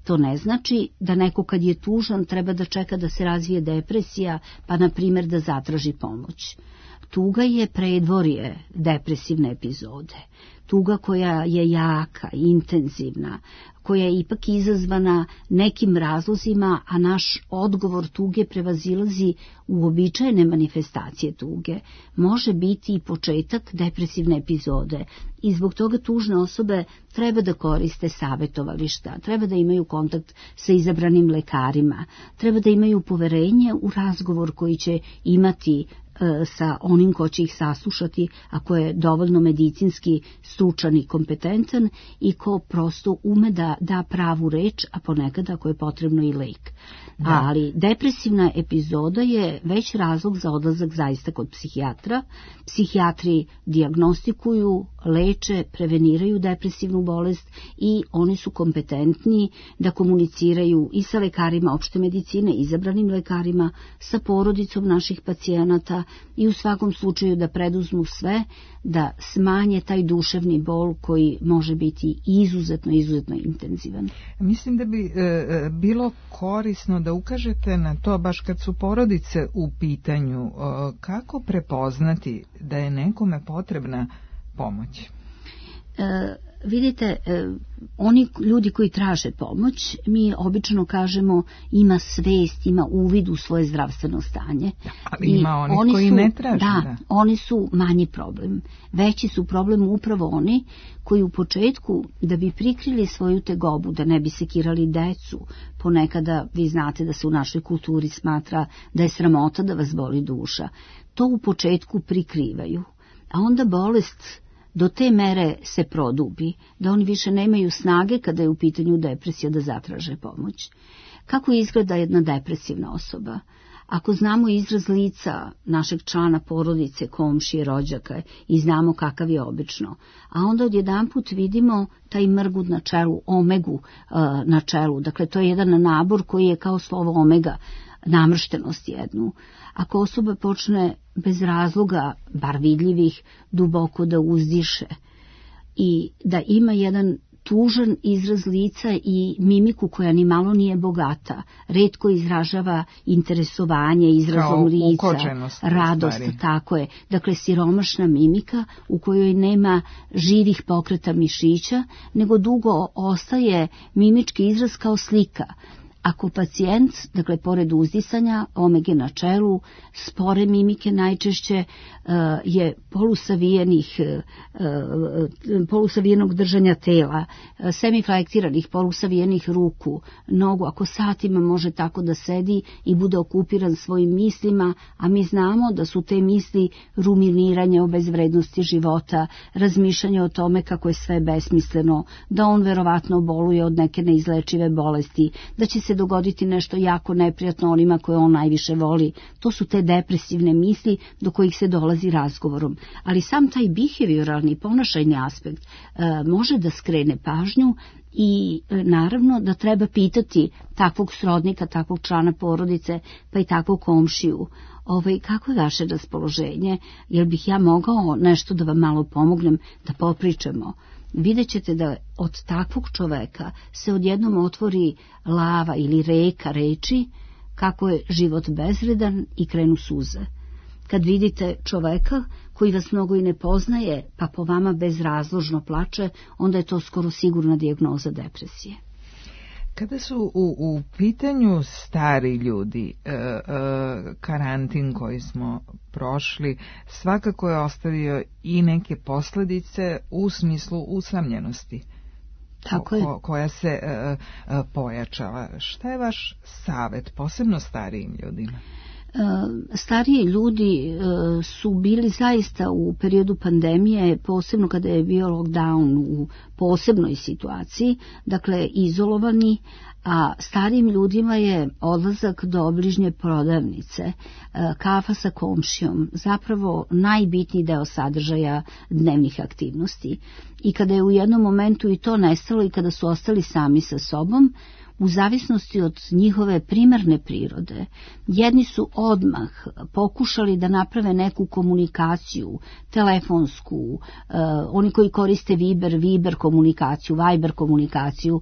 To ne znači da neko kad je tužan treba da čeka da se razvije depresija, pa na primjer da zatraži pomoć. Tuga je predvorje depresivne epizode. Tuga koja je jaka, intenzivna, koja je ipak izazvana nekim razlozima, a naš odgovor tuge prevazilazi uobičajene manifestacije tuge, može biti i početak depresivne epizode i zbog toga tužne osobe treba da koriste savetovališta, treba da imaju kontakt sa izabranim lekarima, treba da imaju poverenje u razgovor koji će imati sa onim ko će ih saslušati, ako je dovoljno medicinski stručan i kompetentan i ko prosto ume da da pravu reč, a ponekad ako je potrebno i lek. Da. Ali depresivna epizoda je već razlog za odlazak zaista kod psihijatra. Psihijatri dijagnostikuju, leče, preveniraju depresivnu bolest i oni su kompetentni da komuniciraju i sa lekarima opšte medicine, izabranim lekarima, sa porodicom naših pacijenata i u svakom slučaju da preduzmu sve da smanje taj duševni bol koji može biti izuzetno intenzivan. Mislim da bi bilo korisno da ukažete na to, baš kad su porodice u pitanju, kako prepoznati da je nekome potrebna pomoć? Vidite, oni ljudi koji traže pomoć, mi obično kažemo ima svest, ima uvid u svoje zdravstveno stanje. Ali ima oni koji ne traže. Da, oni su manji problem. Veći su problem upravo oni koji u početku, da bi prikrili svoju tegobu, da ne bi sekirali decu, ponekada vi znate da se u našoj kulturi smatra da je sramota da vas boli duša, to u početku prikrivaju. A onda bolest do te mere se produbi, da oni više nemaju snage kada je u pitanju depresija da zatraže pomoć. Kako izgleda jedna depresivna osoba? Ako znamo izraz lica našeg člana porodice, komšije, rođaka i znamo kakav je obično, a onda odjedanput vidimo taj mrgud na čelu, omegu na čelu, dakle to je jedan nabor koji je kao slovo omega, namrštenost jednu. Ako osoba počne bez razloga, bar vidljivih, duboko da uzdiše i da ima jedan tužan izraz lica i mimiku koja ni malo nije bogata. Retko izražava interesovanje izrazom lica, radost, tako je. Dakle, siromašna mimika u kojoj nema živih pokreta mišića, nego dugo ostaje mimički izraz kao slika. Ako pacijent, dakle, pored uzdisanja, omege na čelu, spore mimike najčešće je polusavijenog držanja tela, semiflektiranih, polusavijenih ruku, nogu, ako satima može tako da sedi i bude okupiran svojim mislima, a mi znamo da su te misli ruminiranje o bezvrednosti života, razmišljanje o tome kako je sve besmisleno, da on verovatno boluje od neke neizlečive bolesti, da će se dogoditi nešto jako neprijatno onima koje on najviše voli. To su te depresivne misli do kojih se dolazi razgovorom. Ali sam taj behavioralni, ponašajni aspekt može da skrene pažnju i naravno da treba pitati takvog srodnika, takvog člana porodice, pa i takvog komšiju. Kako je vaše raspoloženje? Jel bih ja mogao nešto da vam malo pomognem, da popričamo? Vidjet ćete da od takvog čoveka se odjednom otvori lava ili reka reči kako je život bezvredan i krenu suze. Kad vidite čoveka koji vas mnogo i ne poznaje, pa po vama bezrazložno plače, onda je to skoro sigurna dijagnoza depresije. Kada su u pitanju stari ljudi, karantin koji smo prošli svakako je ostavio i neke posljedice u smislu usamljenosti. Tako je. Koja se pojačala. Šta je vaš savjet, posebno starijim ljudima? Stariji ljudi su bili zaista u periodu pandemije, posebno kada je bio lockdown, u posebnoj situaciji, dakle izolovani, a starijim ljudima je odlazak do obližnje prodavnice, kafa sa komšijom, zapravo najbitniji deo sadržaja dnevnih aktivnosti. I kada je u jednom momentu i to nestalo i kada su ostali sami sa sobom, u zavisnosti od njihove primarne prirode, jedni su odmah pokušali da naprave neku komunikaciju, telefonsku, oni koji koriste Viber komunikaciju, Viber komunikaciju,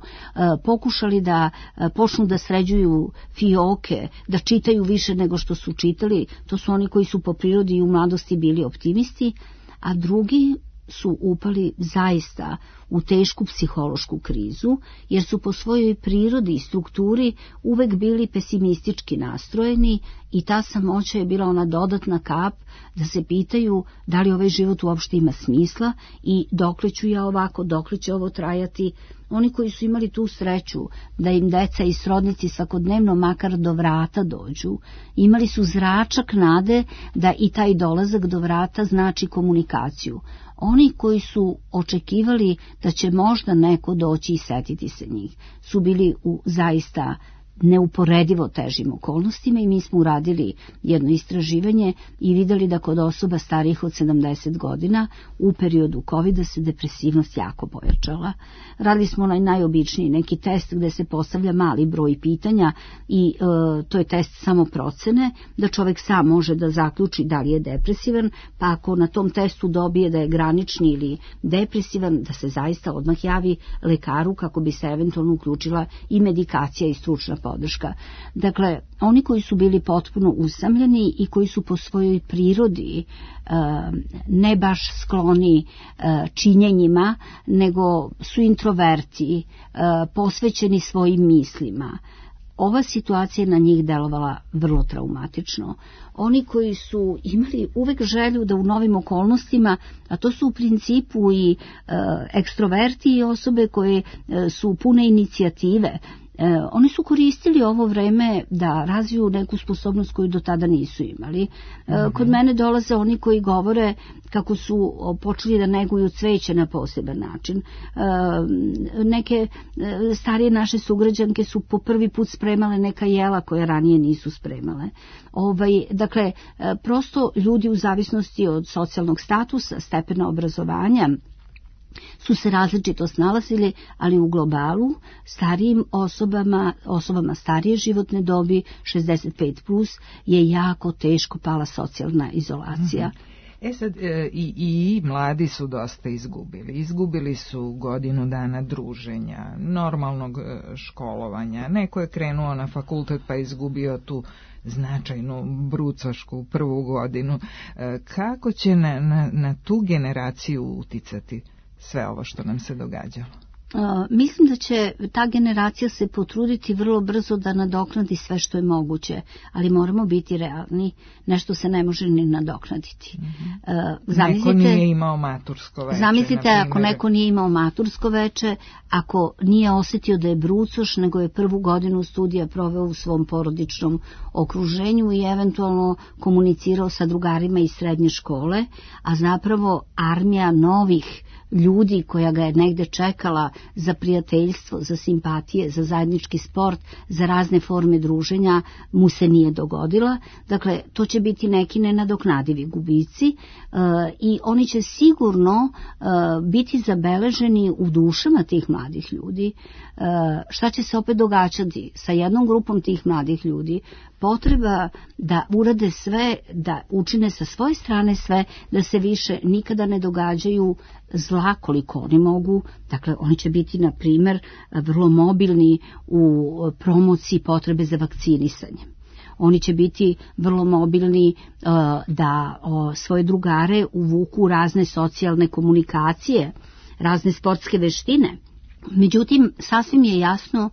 pokušali da počnu da sređuju fioke, da čitaju više nego što su čitali, to su oni koji su po prirodi i u mladosti bili optimisti, a drugi su upali zaista u tešku psihološku krizu, jer su po svojoj prirodi i strukturi uvek bili pesimistički nastrojeni i ta samoća je bila ona dodatna kap da se pitaju da li ovaj život uopšte ima smisla i dokle ću ja ovako, dokle će ovo trajati. Oni koji su imali tu sreću da im deca i srodnici svakodnevno makar do vrata dođu, imali su zračak nade da i taj dolazak do vrata znači komunikaciju. Oni koji su očekivali da će možda neko doći i setiti se njih, su bili u zaista neuporedivo težim okolnostima i mi smo uradili jedno istraživanje i vidjeli da kod osoba starijih od 70 godina u periodu COVID-a se depresivnost jako pojačala. Radili smo najobičniji neki test gde se postavlja mali broj pitanja i to je test samo procene, da čovjek sam može da zaključi da li je depresivan, pa ako na tom testu dobije da je granični ili depresivan, da se zaista odmah javi lekaru kako bi se eventualno uključila i medikacija i stručna podrška. Dakle, oni koji su bili potpuno usamljeni i koji su po svojoj prirodi ne baš skloni činjenjima, nego su introverti, posvećeni svojim mislima. Ova situacija na njih delovala vrlo traumatično. Oni koji su imali uvek želju da u novim okolnostima, a to su u principu i ekstroverti i osobe koje su pune inicijative, oni su koristili ovo vreme da razviju neku sposobnost koju do tada nisu imali. Kod mene dolaze oni koji govore kako su počeli da neguju cveće na poseban način. Neke starije naše sugrađanke su po prvi put spremale neka jela koja ranije nisu spremale. Dakle, prosto ljudi u zavisnosti od socijalnog statusa, stepena obrazovanja, su se različito snalazili, ali u globalu starijim osobama starije životne dobi 65 plus je jako teško pala socijalna izolacija. Sad, i mladi su dosta izgubili. Izgubili su godinu dana druženja, normalnog školovanja. Neko je krenuo na fakultet pa izgubio tu značajnu brucošku prvu godinu. Kako će na tu generaciju uticati sve ovo što nam se događalo? Mislim da će ta generacija se potruditi vrlo brzo da nadoknadi sve što je moguće, ali moramo biti realni, nešto se ne može ni nadoknaditi. Neko nije imao matursko veče. Zamislite ako neko nije imao matursko veče, ako nije osjetio da je brucoš, nego je prvu godinu studija proveo u svom porodičnom okruženju i eventualno komunicirao sa drugarima iz srednje škole, a zapravo armija novih ljudi koja ga je negde čekala za prijateljstvo, za simpatije, za zajednički sport, za razne forme druženja, mu se nije dogodila. Dakle, to će biti neki nenadoknadivi gubici i oni će sigurno biti zabeleženi u dušama tih mladih ljudi. Šta će se opet događati sa jednom grupom tih mladih ljudi? Potreba da urade sve, da učine sa svoje strane sve, da se više nikada ne događaju zla koliko oni mogu. Dakle, oni će biti, na primjer, vrlo mobilni u promociji potrebe za vakcinisanje. Oni će biti vrlo mobilni da svoje drugare uvuku u razne socijalne komunikacije, razne sportske veštine. Međutim, sasvim je jasno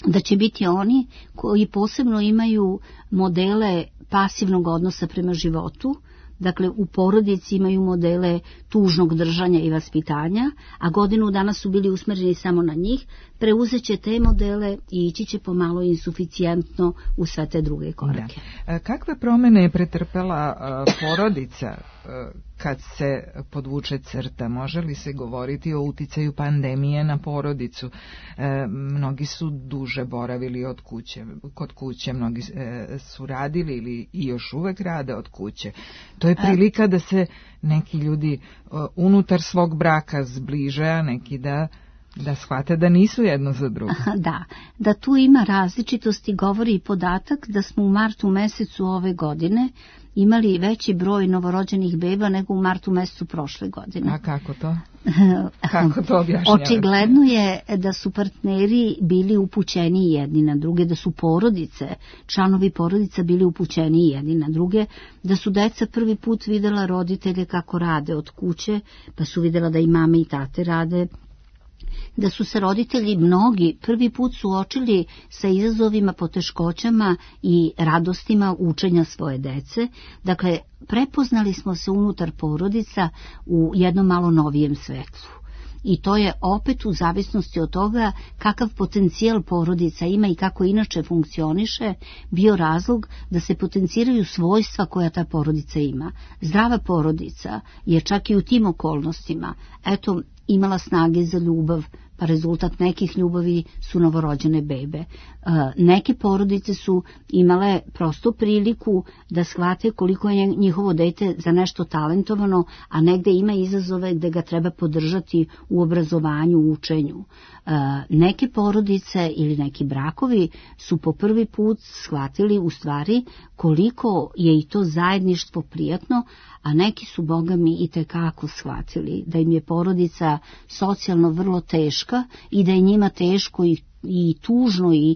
da će biti oni koji posebno imaju modele pasivnog odnosa prema životu, dakle u porodici imaju modele tužnog držanja i vaspitanja, a godinu dana su bili usmjereni samo na njih, preuzet će te modele i ići će pomalo insuficijentno u sve te druge korake. Da. Kakve promjene je pretrpela porodica kad se podvuče crta? Može li se govoriti o uticaju pandemije na porodicu? Mnogi su duže boravili kod kuće, mnogi su radili ili i još uvek rade od kuće. To je prilika da se neki ljudi unutar svog braka zbliže, a neki da shvate da nisu jedno za drugo. Da tu ima različitosti govori i podatak da smo u martu mesecu ove godine imali veći broj novorođenih beba nego u martu mesecu prošle godine. A kako to? Kako to objašnjavate? Očigledno je da su partneri bili upućeni jedni na druge, da su porodice, članovi porodica bili upućeni jedni na druge, da su deca prvi put videla roditelje kako rade od kuće, pa su videla da i mame i tate rade, da su se roditelji mnogi prvi put suočili sa izazovima, poteškoćama i radostima učenja svoje dece. Dakle, prepoznali smo se unutar porodica u jednom malo novijem svetlu. I to je opet u zavisnosti od toga kakav potencijal porodica ima i kako inače funkcioniše bio razlog da se potenciraju svojstva koja ta porodica ima. Zdrava porodica je čak i u tim okolnostima imala snage za ljubav, pa rezultat nekih ljubavi su novorođene bebe. Neke porodice su imale prosto priliku da shvate koliko je njihovo dete za nešto talentovano, a negde ima izazove gde ga treba podržati u obrazovanju, u učenju. Neke porodice ili neki brakovi su po prvi put shvatili u stvari koliko je i to zajedništvo prijatno, a neki su, Boga mi, i tekako shvatili da im je porodica socijalno vrlo teška i da je njima teško i tužno i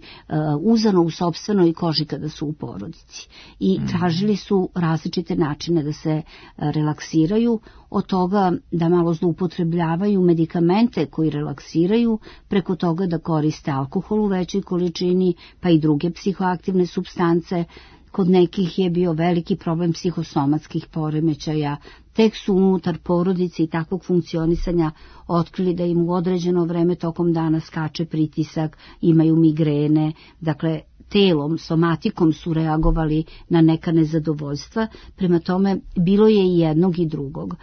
uzano u sopstvenoj koži kada su u porodici. I tražili su različite načine da se relaksiraju, od toga da malo zloupotrebljavaju medikamente koji relaksiraju, preko toga da koriste alkohol u većoj količini, pa i druge psihoaktivne supstance. Kod nekih je bio veliki problem psihosomatskih poremećaja, tek su unutar porodice i takvog funkcionisanja otkrili da im u određeno vreme tokom dana skače pritisak, imaju migrene, dakle telom, somatikom su reagovali na neka nezadovoljstva, prema tome bilo je i jednog i drugog.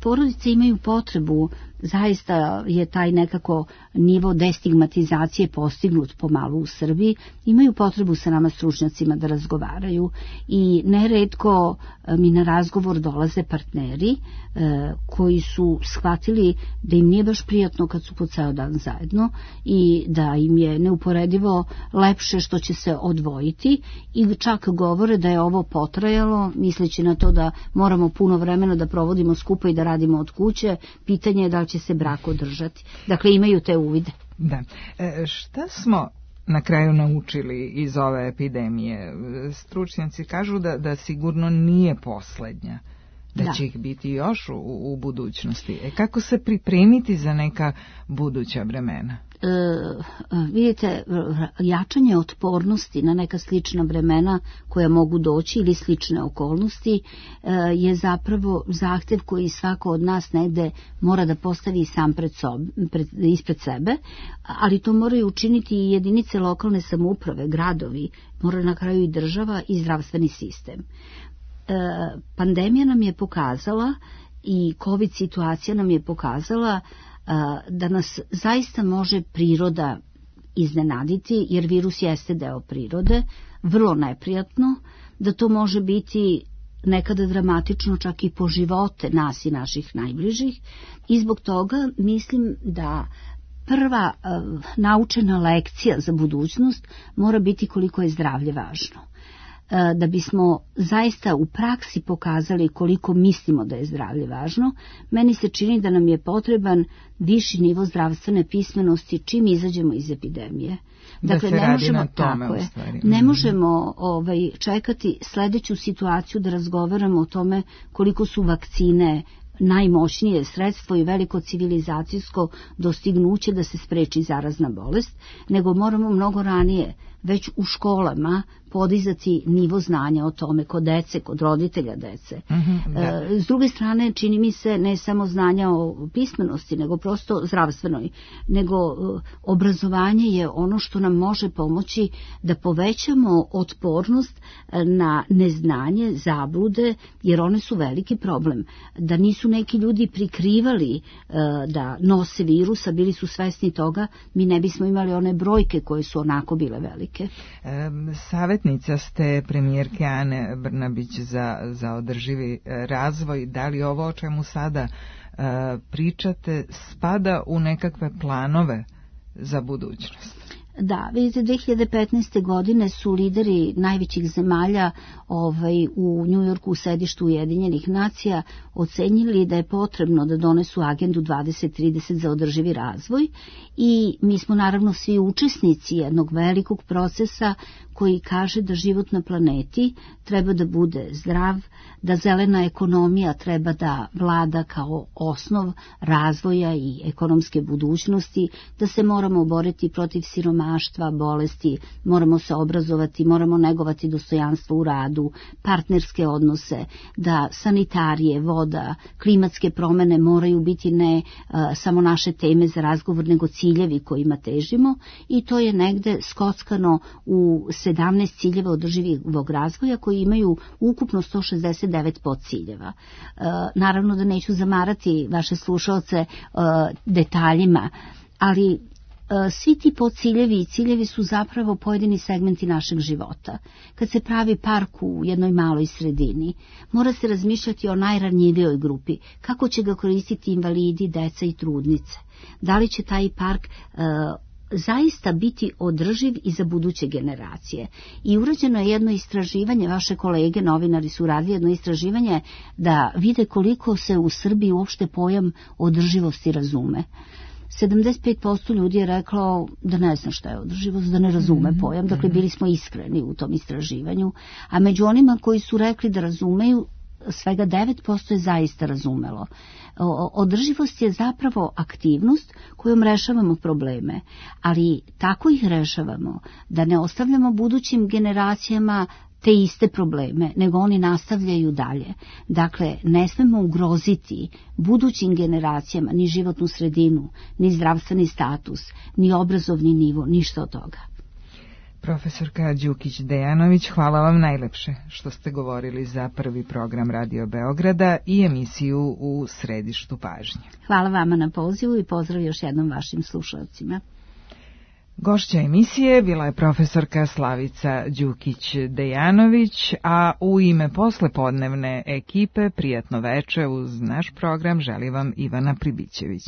Porodice imaju potrebu, zaista je taj nekako nivo destigmatizacije postignut pomalo u Srbiji, imaju potrebu sa nama stručnjacima da razgovaraju i neretko mi na razgovor dolaze partneri partneri koji su shvatili da im nije baš prijatno kad su po ceo dan zajedno i da im je neuporedivo lepše što će se odvojiti i čak govore da je ovo potrajalo, misleći na to da moramo puno vremena da provodimo skupa i da radimo od kuće, pitanje je da li će se brak održati. Dakle, imaju te uvide. Da. Šta smo na kraju naučili iz ove epidemije? Stručnjaci kažu da sigurno nije poslednja, da će ih biti još u budućnosti. Kako se pripremiti za neka buduća vremena? Vidite, jačanje otpornosti na neka slična vremena koja mogu doći ili slične okolnosti je zapravo zahtev koji svako od nas negde mora da postavi sam ispred sebe, ali to moraju učiniti i jedinice lokalne samouprave, gradovi, mora na kraju i država i zdravstveni sistem. Pandemija nam je pokazala i COVID situacija nam je pokazala da nas zaista može priroda iznenaditi, jer virus jeste deo prirode, vrlo neprijatno, da to može biti nekada dramatično čak i po živote nas i naših najbližih i zbog toga mislim da prva naučena lekcija za budućnost mora biti koliko je zdravlje važno. Da bismo zaista u praksi pokazali koliko mislimo da je zdravlje važno, meni se čini da nam je potreban viši nivo zdravstvene pismenosti čim izađemo iz epidemije. Dakle, ne možemo čekati sledeću situaciju da razgovaramo o tome koliko su vakcine najmoćnije sredstvo i veliko civilizacijsko dostignuće da se spreči zarazna bolest, nego moramo mnogo ranije već u školama podizati nivo znanja o tome kod dece, kod roditelja dece. S druge strane, čini mi se ne samo znanja o pismenosti, nego prosto zdravstvenoj, nego obrazovanje je ono što nam može pomoći da povećamo otpornost na neznanje, zablude, jer one su veliki problem. Da nisu neki ljudi prikrivali da nose virus, a bili su svesni toga, mi ne bismo imali one brojke koje su onako bile velike. Savjetnica ste premijerke Ane Brnabić za održivi razvoj. Da li ovo o čemu sada pričate spada u nekakve planove za budućnost? Da, vidite, 2015. godine su lideri najvećih zemalja u Njujorku u sedištu Ujedinjenih nacija ocenjili da je potrebno da donesu agendu 2030 za održivi razvoj i mi smo naravno svi učesnici jednog velikog procesa koji kaže da život na planeti treba da bude zdrav, da zelena ekonomija treba da vlada kao osnov razvoja i ekonomske budućnosti, da se moramo boriti protiv siromaštva, bolesti, moramo se obrazovati, moramo negovati dostojanstvo u radu, partnerske odnose, da sanitarije, voda, klimatske promene moraju biti ne samo naše teme za razgovor, nego ciljevi kojima težimo i to je negde skockano u 17 ciljeva održivog razvoja koji imaju ukupno 169 podciljeva. Naravno da neću zamarati vaše slušaoce detaljima, ali svi ti podciljevi i ciljevi su zapravo pojedini segmenti našeg života. Kad se pravi park u jednoj maloj sredini, mora se razmišljati o najranjivijoj grupi, kako će ga koristiti invalidi, deca i trudnice. Da li će taj park zaista biti održiv i za buduće generacije. I urađeno je jedno istraživanje, vaše kolege novinari su radili jedno istraživanje da vide koliko se u Srbiji uopšte pojam održivosti razume. 75% ljudi je reklo da ne zna šta je održivost, da ne razume pojam, dakle bili smo iskreni u tom istraživanju, a među onima koji su rekli da razumeju, svega 9% je zaista razumelo. Održivost je zapravo aktivnost kojom rešavamo probleme, ali tako ih rešavamo da ne ostavljamo budućim generacijama te iste probleme, nego oni nastavljaju dalje. Dakle, ne smemo ugroziti budućim generacijama ni životnu sredinu, ni zdravstveni status, ni obrazovni nivo, ništa od toga. Profesorka Đukić-Dejanović, hvala vam najlepše što ste govorili za prvi program Radio Beograda i emisiju U središtu pažnje. Hvala vama na pozivu i pozdrav još jednom vašim slušalcima. Gošća emisije bila je profesorka Slavica Đukić-Dejanović, a u ime poslepodnevne ekipe prijatno veče uz naš program želi vam Ivana Pribićević.